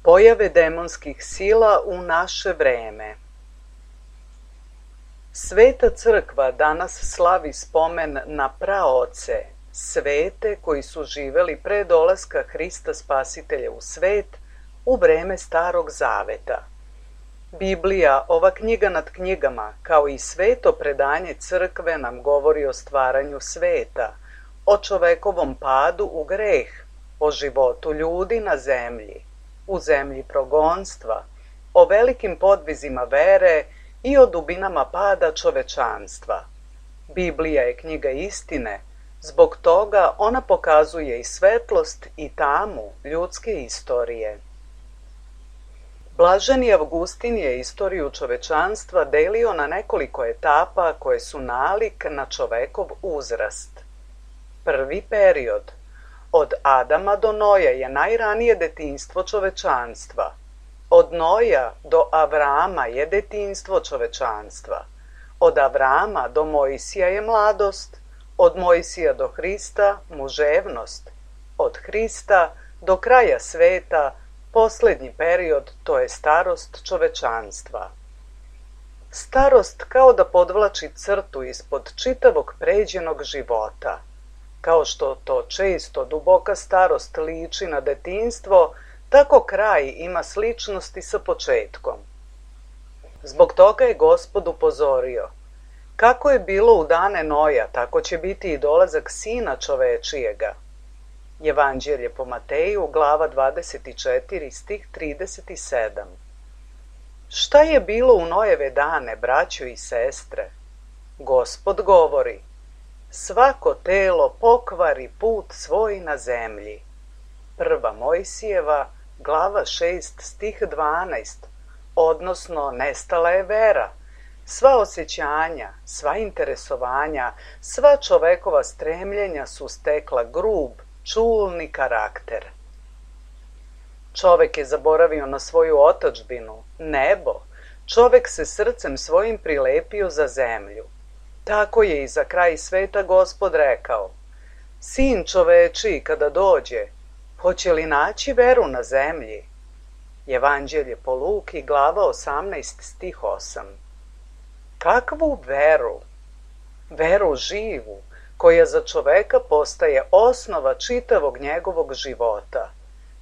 Pojave demonskih sila u naše vreme. Sveta crkva danas slavi spomen na praoce, svete koji su živeli pre dolaska Hrista Spasitelja u svet u vreme Starog Zaveta. Biblija, ova knjiga nad knjigama, kao i sveto predanje crkve nam govori o stvaranju sveta, o čovekovom padu u greh, o životu ljudi na zemlji, u zemlji progonstva, o velikim podvizima vere i o dubinama pada čovečanstva. Biblija je knjiga istine, zbog toga ona pokazuje i svetlost i tamu ljudske istorije. Blaženi Avgustin je istoriju čovečanstva delio na nekoliko etapa koje su nalik na čovekov uzrast. Prvi period, od Adama do Noja, je najranije detinjstvo čovečanstva. Od Noja do Avrama je detinjstvo čovečanstva. Od Avrama do Mojsija je mladost, od Mojsija do Hrista muževnost, od Hrista do kraja sveta poslednji period, to je starost čovečanstva. Starost kao da podvlači crtu ispod čitavog pređenog života. Kao što to često duboka starost liči na detinjstvo, tako kraj ima sličnosti sa početkom. Zbog toga je Gospod upozorio: kako je bilo u dane Noja, tako će biti i dolazak Sina čovečijega. Evanđelje po Mateju, glava 24, stih 37. Šta je bilo u Nojeve dane, braćo i sestre? Gospod govori: svako telo pokvari put svoj na zemlji. Prva Mojsijeva, glava 6, stih 12, odnosno nestala je vera. Sva osjećanja, sva interesovanja, sva čovekova stremljenja su stekla grub, čulni karakter. Čovek je zaboravio na svoju otadžbinu, nebo. Čovek se srcem svojim prilepio za zemlju. Tako je i za kraj sveta Gospod rekao: Sin čovečiji kada dođe, hoće li naći veru na zemlji? Evanđelje po Luki, glava 18, stih 8. Kakvu veru? Veru živu, koja za čoveka postaje osnova čitavog njegovog života.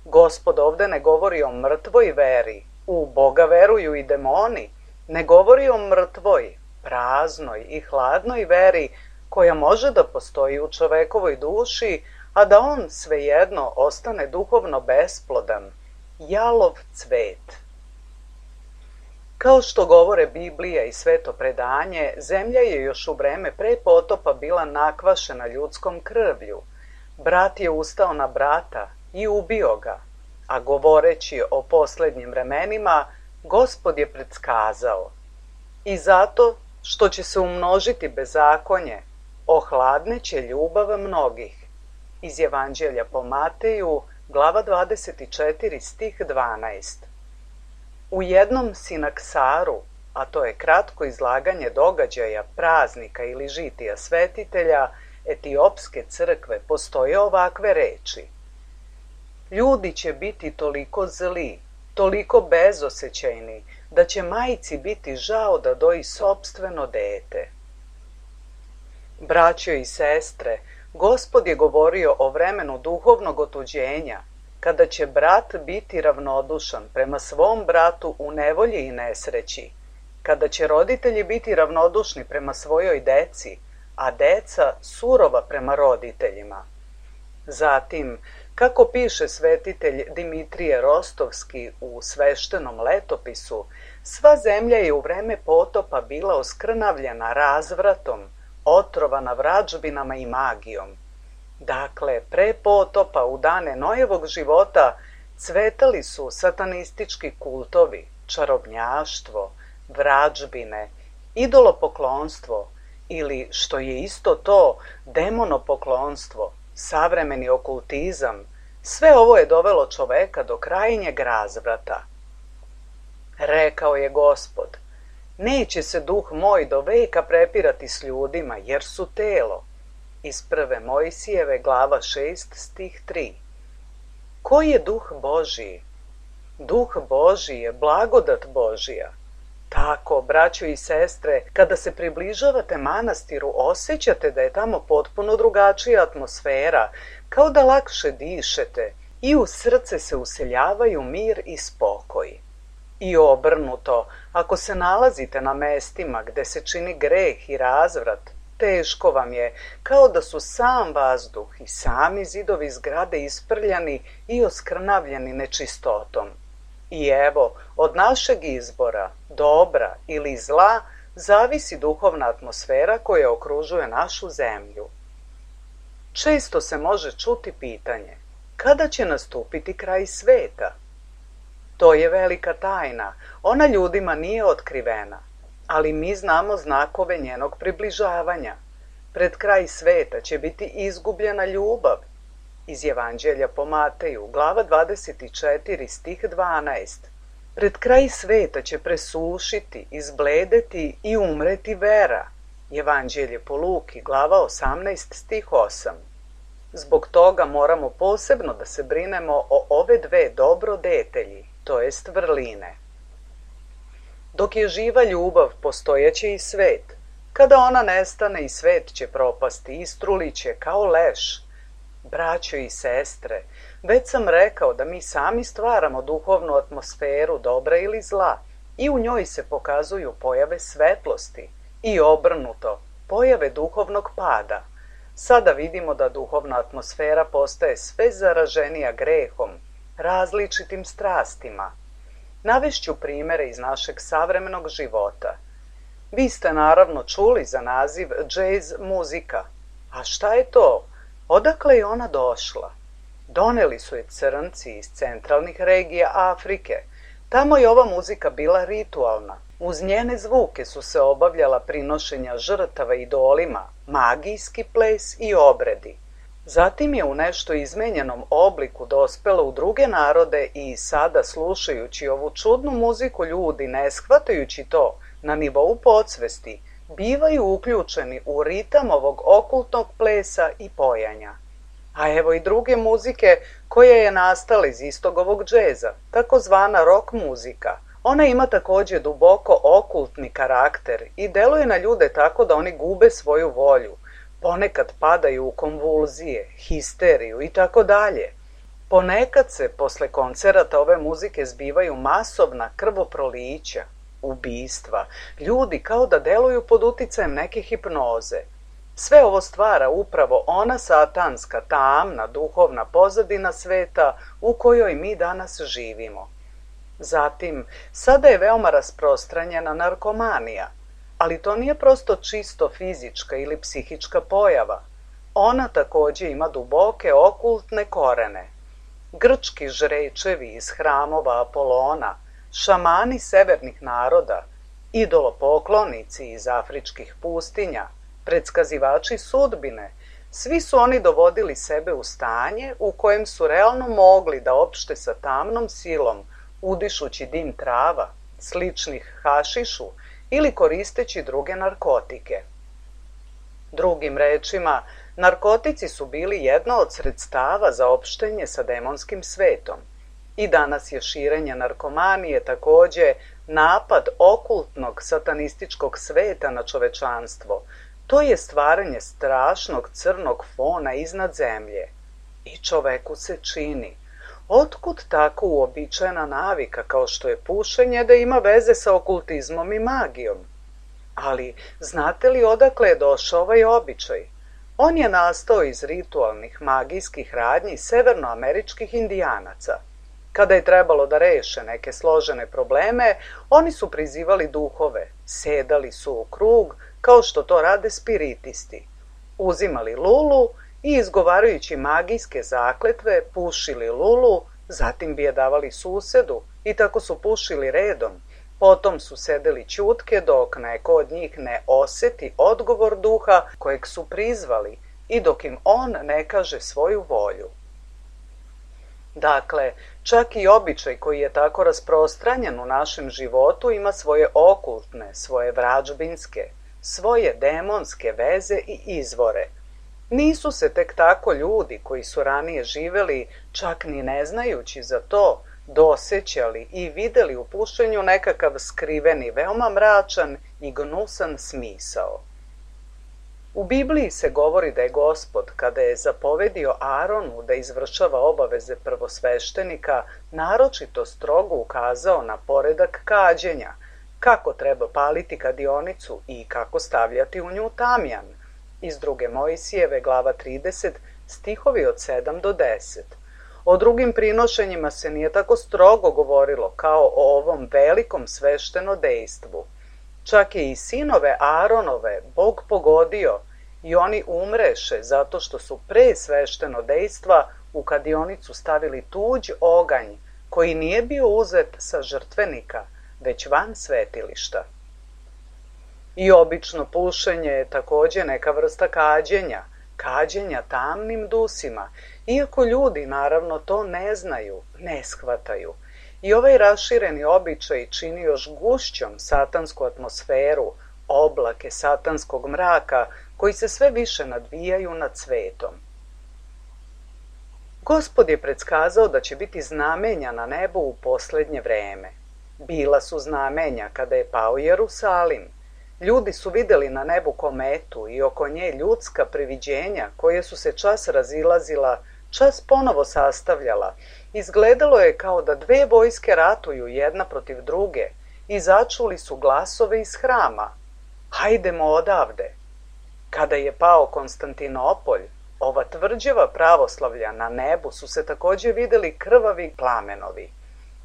Gospod ovde ne govori o mrtvoj veri, u Boga veruju i demoni, ne govori o mrtvoj, praznoj i hladnoj veri koja može da postoji u čovekovoj duši, a da on svejedno ostane duhovno besplodan, jalov cvet. Kao što govore Biblija i sveto predanje, zemlja je još u vreme pre potopa bila nakvašena ljudskom krvlju. Brat je ustao na brata i ubio ga, a govoreći o poslednjim vremenima, Gospod je predskazao: i zato što će se umnožiti bezakonje, ohladneće ljubav mnogih. Iz Evanđelja po Mateju, glava 24, stih 12. U jednom sinaksaru, a to je kratko izlaganje događaja, praznika ili žitija svetitelja Etiopske crkve, postoje ovakve reči: ljudi će biti toliko zli, toliko bezosećajni, da će majci biti žao da doji sopstveno dete. Braćo i sestre, Gospod je govorio o vremenu duhovnog otuđenja, kada će brat biti ravnodušan prema svom bratu u nevolji i nesreći, kada će roditelji biti ravnodušni prema svojoj deci, a deca surova prema roditeljima. Zatim, kako piše svetitelj Dimitrije Rostovski u sveštenom letopisu, sva zemlja je u vreme potopa bila oskrnavljena razvratom, otrovana vrađbinama i magijom. Dakle, pre potopa u dane Nojevog života cvetali su satanistički kultovi, čarobnjaštvo, vrađbine, idolopoklonstvo ili, što je isto to, demonopoklonstvo, savremeni okultizam. Sve ovo je dovelo čoveka do krajnjeg razvrata. Rekao je Gospod: neće se duh moj do veka prepirati s ljudima, jer su telo. Iz prve Mojsijeve, glava 6, stih 3. Ko je duh Božiji? Duh Božji je blagodat Božja. Tako, braćo i sestre, kada se približavate manastiru, osjećate da je tamo potpuno drugačija atmosfera, kao da lakše dišete i u srce se useljavaju mir i spokoj. I obrnuto, ako se nalazite na mestima gde se čini greh i razvrat, teško vam je, kao da su sam vazduh i sami zidovi zgrade isprljani i oskrnavljeni nečistotom. I evo, od našeg izbora, dobra ili zla, zavisi duhovna atmosfera koja okružuje našu zemlju. Često se može čuti pitanje, kada će nastupiti kraj sveta? To je velika tajna, ona ljudima nije otkrivena, ali mi znamo znakove njenog približavanja. Pred kraj sveta će biti izgubljena ljubav. Iz Evanđelja po Mateju, glava 24, stih 12. Pred kraj sveta će presušiti, izbledeti i umreti vera. Evanđelje po Luki, glava 18, stih 8. Zbog toga moramo posebno da se brinemo o ove dve dobrodetelji, to jest vrline. Dok je živa ljubav, postojeće i svet. Kada ona nestane, i svet će propasti, istrulit će kao leš. Braćo i sestre, već sam rekao da mi sami stvaramo duhovnu atmosferu dobra ili zla i u njoj se pokazuju pojave svetlosti i obrnuto, pojave duhovnog pada. Sada vidimo da duhovna atmosfera postaje sve zaraženija grehom, različitim strastima. Navešću primere iz našeg savremenog života. Vi ste naravno čuli za naziv džez muzika. A šta je to? Odakle je ona došla? Doneli su je crnci iz centralnih regija Afrike. Tamo je ova muzika bila ritualna. Uz njene zvuke su se obavljala prinošenja žrtava idolima, magijski ples i obredi. Zatim je u nešto izmenjenom obliku dospela u druge narode i sada, slušajući ovu čudnu muziku, ljudi, ne shvatajući to na nivou podsvesti, bivaju uključeni u ritam ovog okultnog plesa i pojanja. A evo i druge muzike koja je nastala iz istog ovog džeza, takozvana rock muzika. Ona ima takođe duboko okultni karakter i deluje na ljude tako da oni gube svoju volju, ponekad padaju u konvulzije, histeriju i tako dalje. Ponekad se posle koncerata ove muzike zbivaju masovna krvoprolića, ubistva, ljudi kao da deluju pod uticajem neke hipnoze. Sve ovo stvara upravo ona satanska, tamna, duhovna pozadina sveta u kojoj mi danas živimo. Zatim, sada je veoma rasprostranjena narkomanija, ali to nije prosto čisto fizička ili psihička pojava. Ona takođe ima duboke okultne korene. Grčki žrečevi iz hramova Apolona, šamani severnih naroda, idolopoklonici iz afričkih pustinja, predskazivači sudbine, svi su oni dovodili sebe u stanje u kojem su realno mogli da opšte sa tamnom silom, udišući dim trava, sličnih hašišu ili koristeći druge narkotike. Drugim rečima, narkotici su bili jedno od sredstava za opštenje sa demonskim svetom. I danas je širenje narkomanije takođe napad okultnog satanističkog sveta na čovečanstvo. To je stvaranje strašnog crnog fona iznad zemlje. I čoveku se čini. Otkud tako uobičajena navika kao što je pušenje da ima veze sa okultizmom i magijom? Ali znate li odakle je došao ovaj običaj? On je nastao iz ritualnih magijskih radnji severnoameričkih indijanaca. Kada je trebalo da reše neke složene probleme, oni su prizivali duhove, sedali su u krug, kao što to rade spiritisti. Uzimali lulu i izgovarajući magijske zakletve pušili lulu, zatim bi je davali susedu i tako su pušili redom. Potom su sedeli ćutke dok neko od njih ne oseti odgovor duha kojeg su prizvali i dok im on ne kaže svoju volju. Dakle, čak i običaj koji je tako rasprostranjen u našem životu ima svoje okultne, svoje vražbinske, svoje demonske veze i izvore. Nisu se tek tako ljudi koji su ranije živeli, čak ni ne znajući za to, dosećali i videli u pušenju nekakav skriveni, veoma mračan i gnusan smisao. U Bibliji se govori da je Gospod, kada je zapovedio Aronu da izvršava obaveze prvosveštenika, naročito strogo ukazao na poredak kađenja, kako treba paliti kadionicu i kako stavljati u nju tamjan, iz 2. Mojsijeve, glava 30, stihovi od 7 do 10. O drugim prinošenjima se nije tako strogo govorilo kao o ovom velikom sveštenodejstvu. Čak je i sinove Aronove Bog pogodio i oni umreše zato što su pre sveštenodejstva u kadionicu stavili tuđ oganj koji nije bio uzet sa žrtvenika, već van svetilišta. I obično pušenje je takođe neka vrsta kađenja tamnim dusima, iako ljudi naravno to ne znaju, ne shvataju. I ovaj rašireni običaj čini još gušćom satansku atmosferu, oblake satanskog mraka koji se sve više nadvijaju nad svetom. Gospod je predskazao da će biti znamenja na nebu u poslednje vreme. Bila su znamenja kada je pao Jerusalim. Ljudi su videli na nebu kometu i oko nje ljudska priviđenja koje su se čas razilazila, čas ponovo sastavljala. Izgledalo je kao da dve vojske ratuju jedna protiv druge i začuli su glasove iz hrama. Hajdemo odavde. Kada je pao Konstantinopolj, ova tvrđava pravoslavlja na nebu su se takođe videli krvavi plamenovi.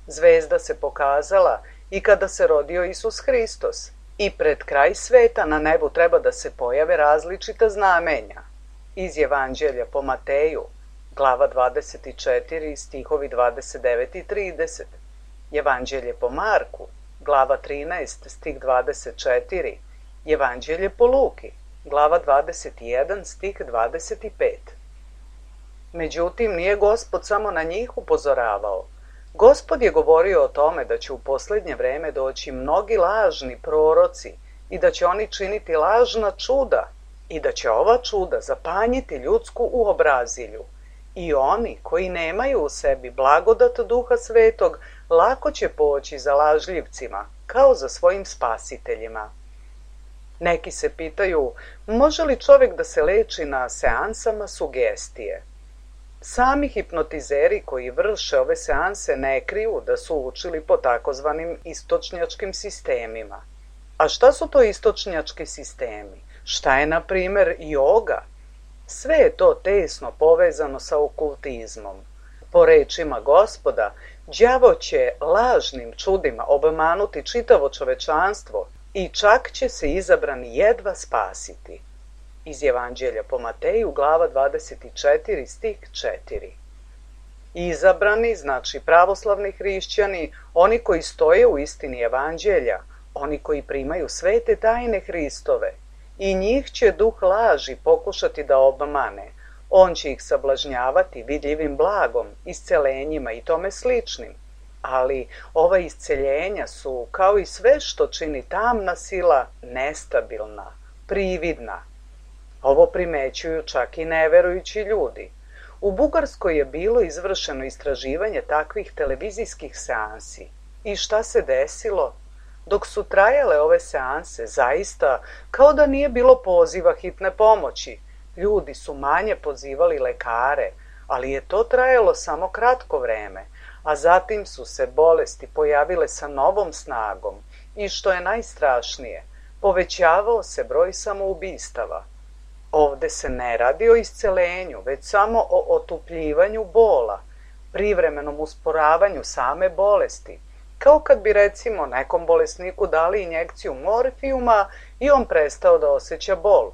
Zvezda se pokazala i kada se rodio Isus Hristos. I pred kraj sveta na nebu treba da se pojave različita znamenja. Iz Evanđelja po Mateju, glava 24, stihovi 29 i 30. Evanđelje po Marku, glava 13, stih 24. Evanđelje po Luki, glava 21, stih 25. Međutim, nije Gospod samo na njih upozoravao. Gospod je govorio o tome da će u poslednje vreme doći mnogi lažni proroci i da će oni činiti lažna čuda i da će ova čuda zapanjiti ljudsku uobrazilju. I oni koji nemaju u sebi blagodat Duha Svetog lako će poći za lažljivcima, kao za svojim spasiteljima. Neki se pitaju, može li čovek da se leči na seansama sugestije? Sami hipnotizeri koji vrše ove seanse ne kriju da su učili po takozvanim istočnjačkim sistemima. A šta su to istočnjački sistemi? Šta je, na primer, joga? Sve je to tesno povezano sa okultizmom. Po rečima Gospoda, đavo će lažnim čudima obmanuti čitavo čovečanstvo i čak će se izabrani jedva spasiti. Iz Evanđelja po Mateju, glava 24, stih 4. Izabrani, znači pravoslavni hrišćani, oni koji stoje u istini Evanđelja, oni koji primaju svete tajne Hristove, i njih će duh laži pokušati da obmane. On će ih sablažnjavati vidljivim blagom, iscelenjima i tome sličnim. Ali ova isceljenja su, kao i sve što čini tamna sila, nestabilna, prividna. Ovo primećuju čak i neverujući ljudi. U Bugarskoj je bilo izvršeno istraživanje takvih televizijskih seansi. I šta se desilo? Dok su trajale ove seanse, zaista, kao da nije bilo poziva hitne pomoći. Ljudi su manje pozivali lekare, ali je to trajalo samo kratko vreme, a zatim su se bolesti pojavile sa novom snagom i što je najstrašnije, povećavao se broj samoubistava. Ovde se ne radi o iscelenju, već samo o otupljivanju bola, privremenom usporavanju same bolesti, kao kad bi recimo nekom bolesniku dali injekciju morfijuma i on prestao da osjeća bol.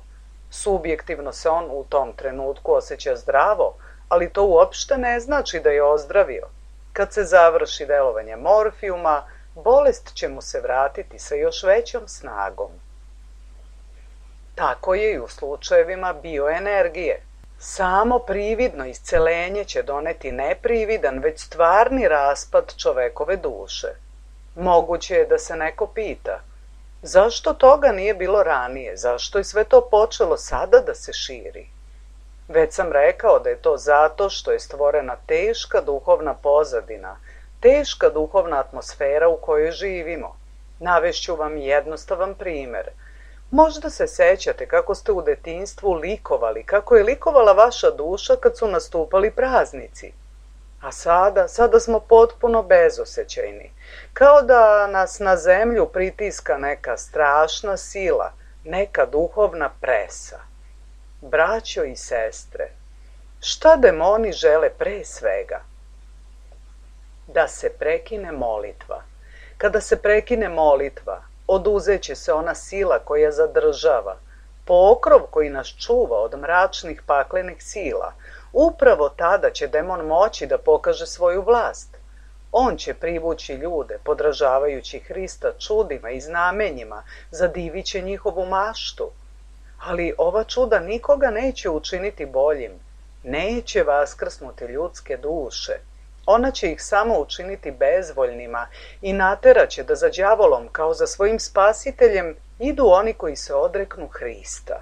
Subjektivno se on u tom trenutku osjeća zdravo, ali to uopšte ne znači da je ozdravio. Kad se završi delovanje morfijuma, bolest će mu se vratiti sa još većom snagom. Tako je i u slučajevima bioenergije. Samo prividno iscelenje će doneti ne prividan, već stvarni raspad čovekove duše. Moguće je da se neko pita, zašto toga nije bilo ranije, zašto je sve to počelo sada da se širi? Već sam rekao da je to zato što je stvorena teška duhovna pozadina, teška duhovna atmosfera u kojoj živimo. Navešću vam jednostavan primer. Možda se sećate kako ste u detinjstvu likovali, kako je likovala vaša duša kad su nastupali praznici. A sada smo potpuno bezosećajni, kao da nas na zemlju pritiska neka strašna sila, neka duhovna presa. Braćo i sestre, šta demoni žele pre svega? Da se prekine molitva. Kada se prekine molitva, oduzeće se ona sila koja zadržava, pokrov koji nas čuva od mračnih paklenih sila. Upravo tada će demon moći da pokaže svoju vlast. On će privući ljude, podražavajući Hrista čudima i znamenjima, zadivit će njihovu maštu. Ali ova čuda nikoga neće učiniti boljim, neće vaskrsnuti ljudske duše. Ona će ih samo učiniti bezvoljnima i nateraće da za đavolom kao za svojim spasiteljem idu oni koji se odreknu Hrista.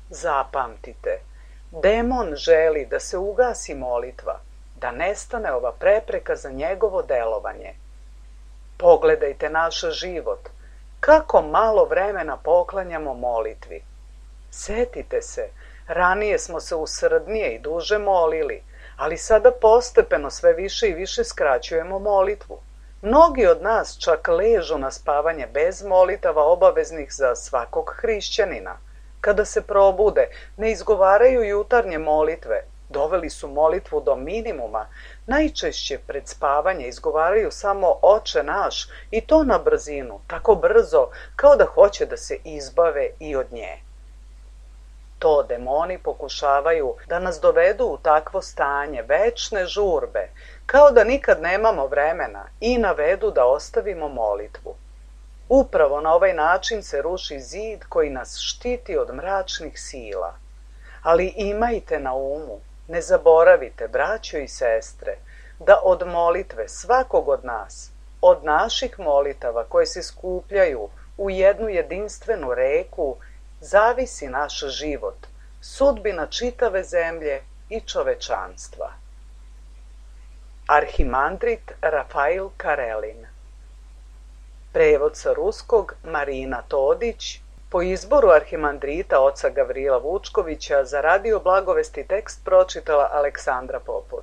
Zapamtite, demon želi da se ugasi molitva, da nestane ova prepreka za njegovo delovanje. Pogledajte naš život, kako malo vremena poklanjamo molitvi. Setite se, ranije smo se usrdnije i duže molili, ali sada postepeno sve više i više skraćujemo molitvu. Mnogi od nas čak ležu na spavanje bez molitava obaveznih za svakog hrišćanina. Kada se probude, ne izgovaraju jutarnje molitve, doveli su molitvu do minimuma, najčešće pred spavanje izgovaraju samo Oče naš i to na brzinu, tako brzo kao da hoće da se izbave i od nje. To demoni pokušavaju da nas dovedu u takvo stanje večne žurbe, kao da nikad nemamo vremena i navedu da ostavimo molitvu. Upravo na ovaj način se ruši zid koji nas štiti od mračnih sila. Ali imajte na umu, ne zaboravite, braćo i sestre, da od molitve svakog od nas, od naših molitava koje se skupljaju u jednu jedinstvenu reku, zavisi naš život, sudbina čitave zemlje i čovečanstva. Arhimandrit Rafail Karelin. Prevod sa ruskog Marina Todić, po izboru arhimandrita oca Gavrila Vučkovića za Radio Blagovesti tekst pročitala Aleksandra Popović.